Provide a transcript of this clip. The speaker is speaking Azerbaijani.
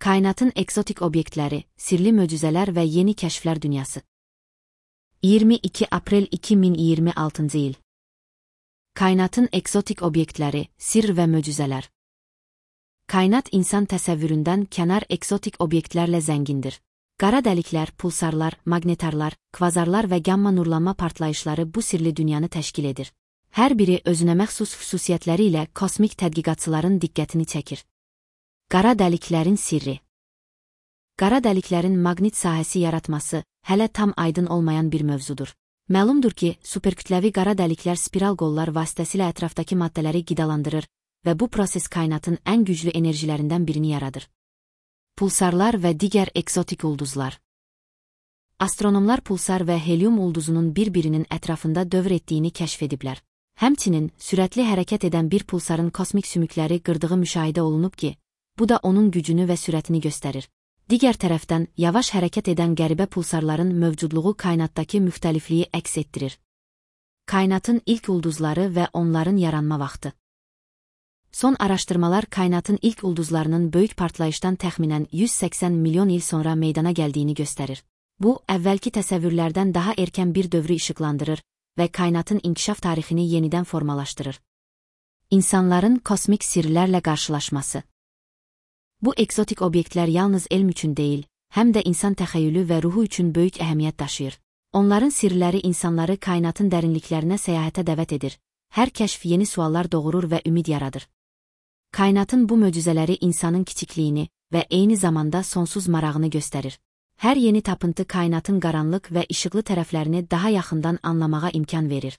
Kainatın eksotik obyektləri, sirli möcüzələr və yeni kəşflər dünyası. 22 aprel 2026 il. Kainatın eksotik obyektləri, sir və möcüzələr. Kainat insan təsəvvüründən kənar eksotik obyektlərlə zəngindir. Qara dəliklər, pulsarlar, maqnetarlar, kvazarlar və gamma nurlanma partlayışları bu sirli dünyanı təşkil edir. Hər biri özünə məxsus xüsusiyyətləri ilə kosmik tədqiqatçıların diqqətini çəkir. Qara dəliklərin sirri. Qara dəliklərin maqnit sahəsi yaratması hələ tam aydın olmayan bir mövzudur. Məlumdur ki, superkütləvi qara dəliklər spiral qollar vasitəsilə ətrafdakı maddələri qidalandırır və bu proses kainatın ən güclü enerjilərindən birini yaradır. Pulsarlar və digər eksotik ulduzlar. Astronomlar pulsar və helium ulduzunun bir-birinin ətrafında dövr etdiyini kəşf ediblər. Həmçinin, sürətli hərəkət edən bir pulsarın kosmik sümükləri qırdığı müşahidə olunub ki, bu da onun gücünü və sürətini göstərir. Digər tərəfdən, yavaş hərəkət edən qəribə pulsarların mövcudluğu kainatdakı müxtəlifliyi əks etdirir. Kainatın ilk ulduzları və onların yaranma vaxtı. Son araşdırmalar kainatın ilk ulduzlarının böyük partlayışdan təxminən 180 milyon il sonra meydana gəldiyini göstərir. Bu, əvvəlki təsəvvürlərdən daha erkən bir dövrü işıqlandırır və kainatın inkişaf tarixini yenidən formalaşdırır. İnsanların kosmik sirlərlə qarşılaşması. Bu eksotik obyektlər yalnız elm üçün deyil, həm də insan təxəyyülü və ruhu üçün böyük əhəmiyyət daşıyır. Onların sirləri insanları kainatın dərinliklərinə səyahətə dəvət edir. Hər kəşf yeni suallar doğurur və ümid yaradır. Kainatın bu möcüzələri insanın kiçikliyini və eyni zamanda sonsuz marağını göstərir. Hər yeni tapıntı kainatın qaranlıq və işıqlı tərəflərini daha yaxından anlamağa imkan verir.